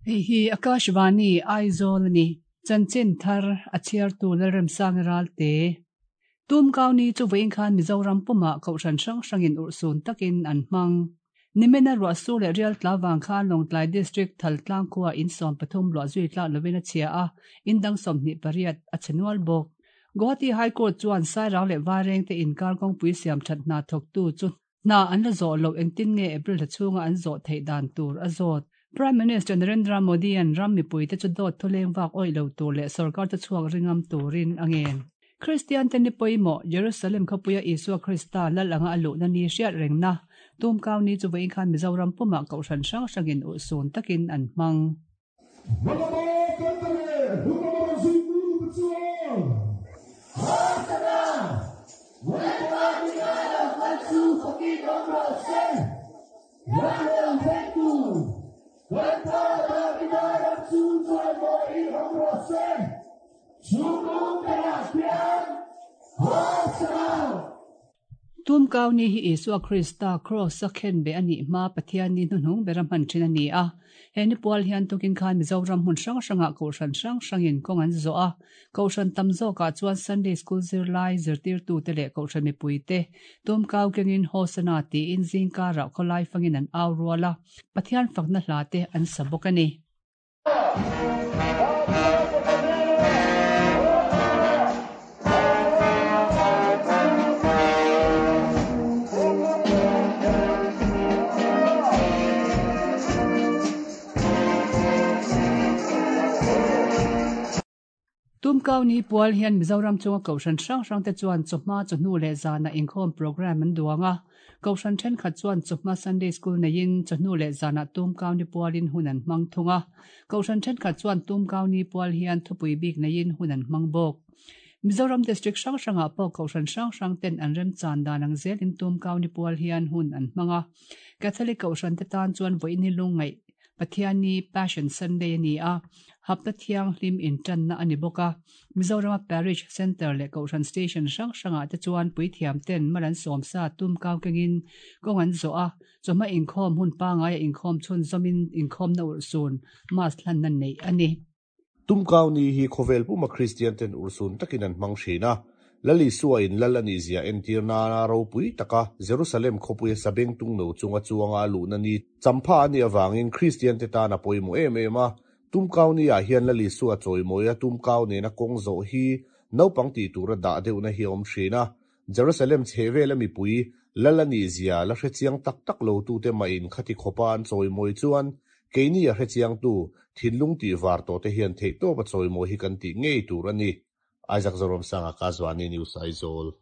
Hei hi Akashvani Aizawl a ni. Chanchin thar a chhiartu Lalremsanga Ralte. Tumkau ni chu vawiin khan Mizoram pumah kohhran hrang hrangin urhsun takin an hmang. Nimina ruahsur leh rial tla vang khan Lawngtlai District Thaltlang khua in 13 luah zui tlak lovin a chhia a, in dang 28 a chhe nual bawk. Guwahati High Court chuan Sairang leh Vairengte inkar kawngpui siam that hna thawktu chu hna an la zawh loh engtin nge April thla chhunga an zawh theih dan tur a zawt. Prime Minister Narendra Modi-a'n ram mipuite chu dawt thuleng vak awih lo tur leh sorkar te chhuak ringam turin a ngen. Kristian te ni pawimawh Jerusalem khawpuia Isua Krista lal anga a luhna ni hriat rengna Tumkau ni chu vawiin khan Mizoram pumah kohhran hrang hrangin urhsun takin an hmang. Tumkau ni hi Isua Krista Kraws-a khenbeh a nih hma Pathian ni hnuhnung bera hman thin a ni a. He ni pual hian tukin khan Mizoram hmun hrang hrangah Kohhran hrang hrangin kawng an zawh a. Kohhran tam zawkah chuan Sunday School zirlai, zirtirtute leh Kohhran mipuite Tumkau kengin Hosana tiin zingkarah khawlai fangin an au rual a, Pathian fakna hlate an sa bawk a ni. Tumkau ni pual hian Mizoram chunga Kohhran hrang hrangte chuan chawhma, chawhnu leh zanah inkhawm programme an duang a. Kohhran thenkhat chuan chawhma Sunday School neiin chawhnu leh zanah Tumkau ni pualin hun an hmang thung a. Kohhran thenkhat chuan Tumkau ni pual hian thupui bik neiin hun an hmang bawk. Mizoram District hrang hrangah pawh Kohhran hrang hrang ten an remchan dan ang zelin Tumkau ni pual hian hun an hmang a. Catholic Kohhran te tan chuan vawiin hi lungngaih Pathianni Passion Sunday a ni a, hapta thianghlim intanna a ni bawk a. Mizorama Parish Centre leh Kohhran Station hrang hrangah te chuan puithiam ten mal an sawmsa tum kau kengin kawng an zawh a, chawhma inkhawm hun pangaia inkhawm chhunzawmin inkhawmna urhsun Mass hlanna neih a ni. Tumkau ni hi khawvel puma Kristian ten urhsun takin an hmang thin a. Lal Isua in Lal a nihzia entir nana ropui taka Jerusalem khawpuia sabeng tung no chunga chuanga a luhna ni champha a nih avangin Kristian te tan a pawimawh em em a. Tumkau ni ah hian Lal Isua chawimawia tumkau nena kawng zawh hi naupang tih tura dah deuhna hi a awm thin a. Jerusalem chhehvela mipui Lal a nihzia la hrechiang tak tak lo tute mahin khati khawpa an chawimawi chuan keini a hrechiangtu thinlung tih var tawhte hian theihtawp a chawimawi hi kan tih ngei tur a ni. Isaac Zoramsanga Kazwani News Aizawl.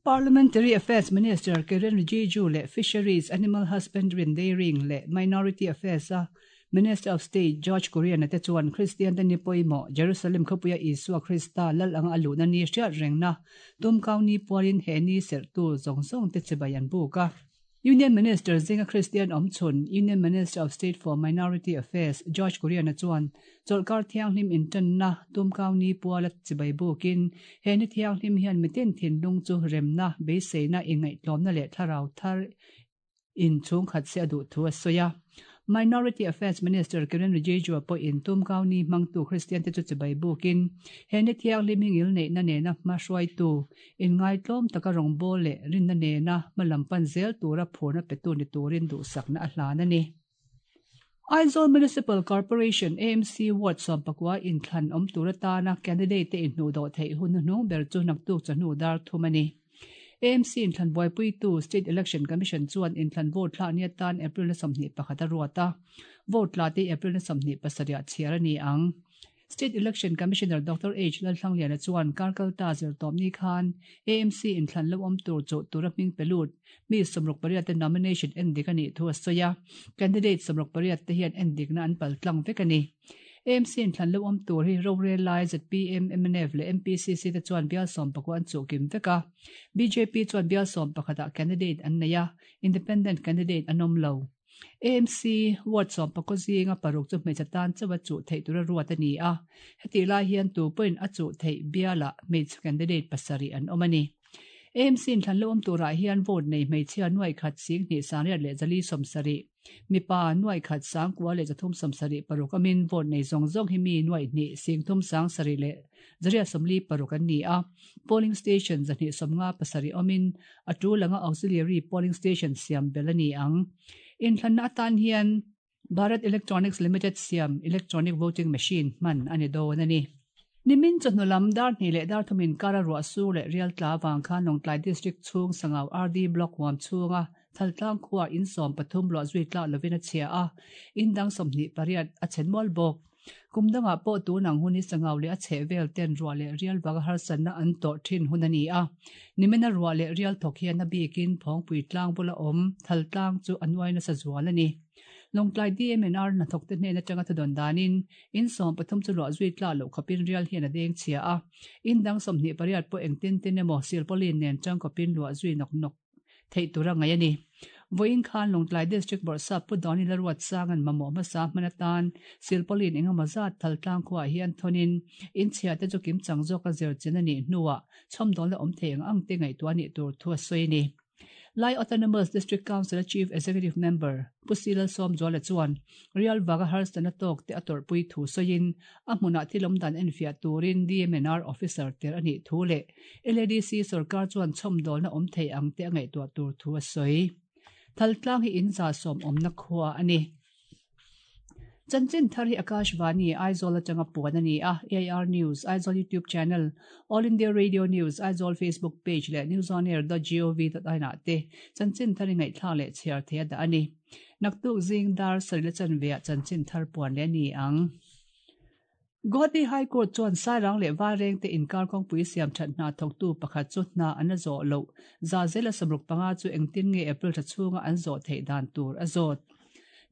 Parliamentary Affairs Minister Kiren Rijiju leh Fisheries, Animal Husbandry and Dairying leh Minority Affairs a Minister of State George Kurian-a te chuan Kristian te ni pawimawh Jerusalem khawpuia Isua Krista lal anga a luhna ni hriat rengna tumkau ni pualin he ni serhtu zawng zawng te chibai an buk a. Union Minister zinga Kristian awm chhun Union Minister of State for Minority Affairs George Kurian-a chuan chawlhkar thianghlim intanna tumkau ni puala chibai bukin he ni thianghlim hian mitin thinlung chu remna, beiseina, inngaihtlawmna leh thlarau thar in chhungkhat se a duh thu a sawi a. Minority Affairs Minister Kiren Rijiju pawhin tumkau ni hmangtu Kristian te chu chibai bukin he ni thianghlim hi ngilneihna nena hma hruaitu, inngaitlawm taka rawngbâwl leh rinna nena hma lam pan zel tura phurna petu ni turin duhsakna a hlan a ni. Aizawl Municipal Corporation, AMC, Ward 19 inthlan awm tur atana candidate te inhnuhdawh theih hun hnuhnung ber chu naktuk chawhnu dar thum a ni. AMC inthlan buaipuitu State Election Commission chuan inthlan vote thlak ni atan April na 21 a ruat a, vote tla te April na 27 ah chhiar a ni ang. State Election Commissioner Doctor H Lalthlangliana chuan Karkalta zirtawpni khan AMC inthlan lo awm tur chu tura hming pe lut mi 68 te nomination endik a nih thu a sawi a, candidate 68 te hian endikna an paltlang vek a ni. AMC inthlan lo awm tur hi rorel lai zpm, mnf leh MPCC te chuan bial 19 an chuh kim vek a. Bjp chuan bial 11 ah candidate an nei a, independent candidate an awm lo. AMC ward 19 zinga paruk chu hmeichhe tan chauh a chuh theih tura ruat a ni a, hetih lai hian tu pawhin a chuh theih bialah hmeichhe candidate pasarih an awm a ni. AMC inthlan lo awm turah hian vote nei hmeichhia nuai khat 10 470, mipa nuai khat 9,376 amin vote nei zawng zawng hi mi nuai hnih 3 7 leh 846 an ni a. Polling station 257 awmin a tul anga auxiliary polling station siam belh a ni ang. Inthlanna atan hian Bharat Electronics Limited siam electronic voting machine hman a ni dawn a ni. Nimin chawhnu lam dar hnih leh dar thum inkara ruah sur leh rial tla avang khan Lawngtlai District chhung Sangau RD Block huam chhunga Thaltlang khua in 13 luah zui tlak lovin a chhia a, in dang 28 a chhe nual bawk. Kum dangah pawh tun ang hun hi Sangau leh a chheh vel ten ruah leh rial vanga harsatna an tawrh thin hun a ni a. Nimina ruah leh rial thawk hian a bikin Phawngpui tlang bula awm Thaltlang chu a nuai nasa zual a ni. Lawngtlai DMNR hnathawkte hnen atanga thudawn danin in 13 chu luah zui tlak loh khawpin rial hian a deng chhia a. In dang 28 pawh engtin tin emaw silpaulin nen tangkawpin luah zui nawk nawk theih tur a ngaih a ni. Vawiin khan Lawngtlai District Bawrhsap Pu Dawni Laruat Sanga'n mamawh hmasa hman atan silpaulin engemaw zat Thaltlang khuaah hian thawnin in chhia te chu kimchang zawka zir chin a nih hnuah chhawmdawl a awm thei ang ang te ngaihtuah a nih tur thu a sawi a ni. Lai Autonomous District Council-a Chief Executive Member Pu Si Lalsawmzuala chuan Rial vaga harsatna tawk te a tawrhpui thu sawiin a hmunah thil awm dan enfiah turin DMNR officer tel a nih thu leh LADC sorkar chuan chhawmdawlna awm thei ang te a ngaihtuah tur thu a sawi. Thaltlang hi in za sawm awmna khua a ni. Chanchin thar hi Akashvani, Aizawl atanga puan a ni a, AIR News, Aizawl YouTube channel, All India Radio News, Aizawl Facebook page leh newsonair.gov.in ah te chanchin thar hi ngaihthlak leh chhiar thei a dah a ni. Naktuk zing dar sarih la chanve ah chanchin thar puan leh a ni ang. Guwahati High Court chuan Sairang leh Vaireng te inkar kawngpui siam that hna thawktu pakhat chu hna an la zawh loh za zela 65 chu engtin nge April thla chhunga an zawh theih dan tur a zawt.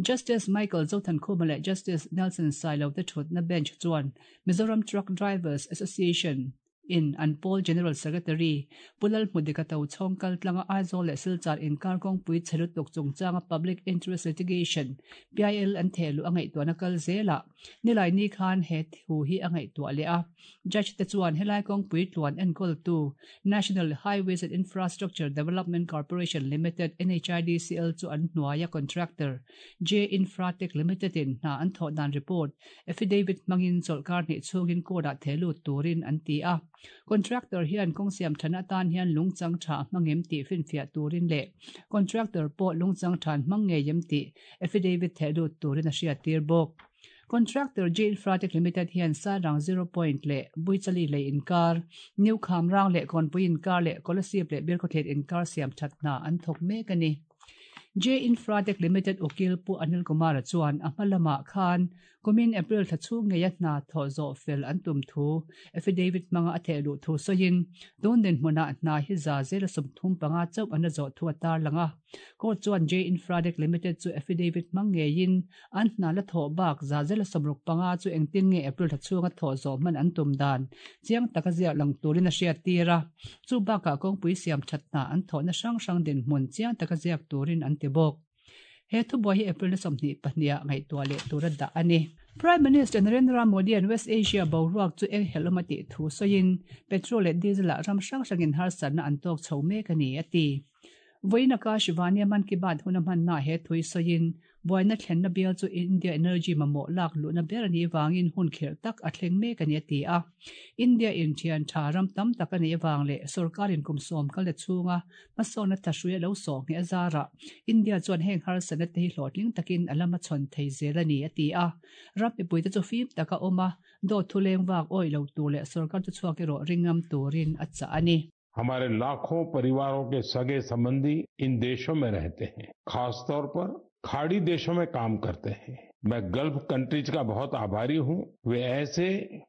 Justice Michael Zothankhuma leh Justice Nelson Sailo te thutna bench chuan Mizoram Truck Drivers Association in an pawl General Secretary Pu Lalhmudika Tochhawng kaltlanga Aizawl leh Silchar inkar kawngpui chhe lutuk chungchanga Public Interest Litigation, PIL, an thehluh a ngaihtuahna kal zelah nilai ni khan he thu hi a ngaihtuah leh a. Judge te chuan helai kawngpui tluan enkawltu National Highways and Infrastructure Development Corporation Limited, NHIDCL, chu an hnuaia contractor J Infratech Limited in hna an thawh dan report affidavit hmangin chawlhkar hnih chhungin court-ah thehlut turin an ti a. Contractor hian kawng siam thana atan hian lungchang tha a hmang em tih finfiah turin leh contractor pawh lungchang tha an hmang ngei em tih affidavit thehlut turin a hriattir bawk. Contractor J Infratech Limited hian Sairang Zero Point leh Buichali lei inkar, New Khamrang leh Kawnpui inkar leh Kolasib leh Birkhawthlet inkar siam that hna an thawk mek a ni. J Infratech Limited ukil Pu Anil Kumar-a chuan a hma lamah khan kumin April thla chhung ngeia hna thawh zawh fel an tum thu affidavit hmanga a theh luh thu sawiin tun dinhmunah hna hi za zela 35 chauh an la zawh thu a tarlang a. Court chuan J Infratech Limited chu affidavit hmang ngeiin an hna la thawh bak za zela 65 chu engtin nge April thla chhunga thawh zawh hman an tum dan chiang taka ziak lang turin a hriat tir a. Chu bakah kawngpui siam that hna an thawhna hrang hrang dinhmun chiang taka ziak turin an ti bawk. He thubuai hi April 22 ah ngaihtuah leh tur a dah a ni. Prime Minister Narendra Modi an West Asia boruak chu eng helh awm a tih thu sawiin petrol leh diesel ah ram hrang hrangin harsatna an tawk chho mek a ni a ti. Vawiin Akashvani a Mann Ki Baat hun a hmanna he thui sawiin buaina thlenna bial chu India energy mamawh lak luhna ber a nih vangin hun khirh tak a thleng mek a ni a ti a. India in thian tha ram tam tak a neih avang leh sorkarin kum sawm kal ta chhunga hmasawnna thahrui a lo sawh ngheh a zarah India chuan heng harsatna te hi hlawhtling takin a lama chhawn thei zel a ni a ti a. Ram mipuite chu fim taka awm a, dawt thu leng vak awih lo tur leh sorkar chu chhuak erawh ringam turin a chah a ni. हमारे लाखों परिवारों के सगे संबंधी इन देशों में रहते हैं, खासतौर पर खाड़ी देशों में काम करते हैं। मैं गल्फ कंट्रीज का बहुत आभारी हूं, वे ऐसे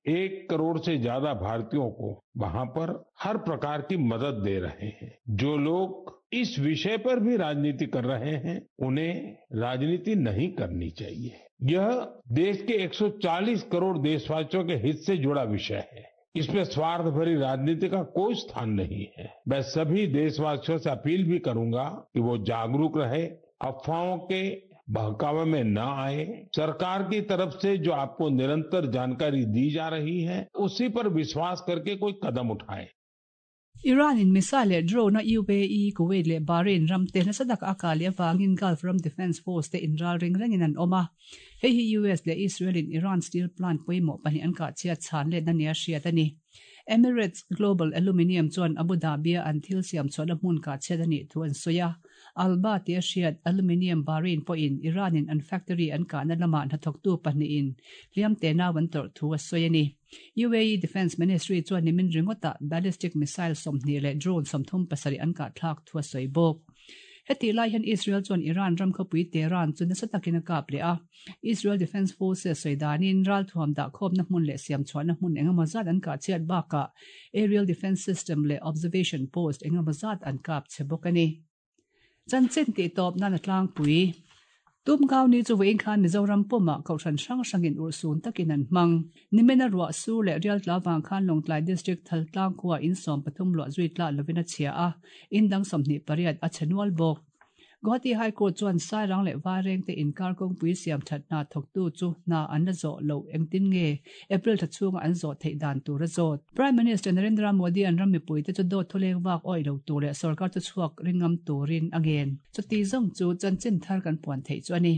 1 करोड़ से ज्यादा भारतीयों को वहां पर हर प्रकार की मदद दे रहे हैं। जो लोग इस विषय पर भी राजनीति कर रहे हैं उन्हें राजनीति नहीं करनी चाहिए। यह देश के 140 करोड़ देशवासियों के हित से जुड़ा विषय है। इसमें स्वार्थ भरी राजनीति का कोई स्थान नहीं है। मैं सभी देशवासियों से अपील भी करूंगा कि वो जागरूक रहे, अफवाहों के बहकावे में न आए। सरकार की तरफ से जो आपको निरंतर जानकारी दी जा रही है उसी पर विश्वास करके कोई कदम उठाएं। Iran in missile leh drone a UAE, Kuwait leh Bahrain ram te nasa taka a kah leh avangin Gulf ram defence force te inral ring rengin an awm a. Hei hi US leh Israel in Iran steel plant pawimawh pahnih an kah chhiat chhan letna nia hriat a ni. Emirates Global Aluminium chuan Abu Dhabi-a an thil siam chhuahna hmun kah chhiat a nih thu an sawi a. Alba tia hriat Aluminium Bahrain pawhin Iran-in an factory an kahna lamah hnathawktu pahnihin hliam tenau an tawrh thu a sawi a ni. UAE Defence Ministry chuan nimin ringawtah ballistic missile 20 leh drone 37 an kahthlak thu a sawi bawk. Hetih lai hian Israel chuan Iran ram khawpui Tehran chu nasa takin a kap leh a. Israel Defence Forces sawi danin ralthuam dahkhawmna hmun leh siamchhuahna hmun engemaw zat an kah chhiat bakah aerial defence system leh observation post engemaw zat an kap chhe bawk a ni. Chanchin tih tawp nan a tlangpui. Tumkau ni chu vawiin khan Mizoram pumah Kohhran hrang hrangin urhsun takin an hmang. Nimena ruah sur leh rial tla vang khan Lawngtlai District Thaltlang khua in 13 luah zui tlah lovin a chhia a, in dang 28 a chhe nual bawk. Guwahati High Court chuan Sairang leh Vairengte inkar kawngpui siam that hna thawktu chu hna an la zawh loh engtin nge April thla chhunga an zawh theih dan tur a zawt. Prime Minister Narendra Modi an ram mipuite chu dawt thuleng vak awih lo tur leh sorkar chu chhuak ringngam turin a ngen. Chuti zawng chu chanchin thar kan puan theih chu a ni.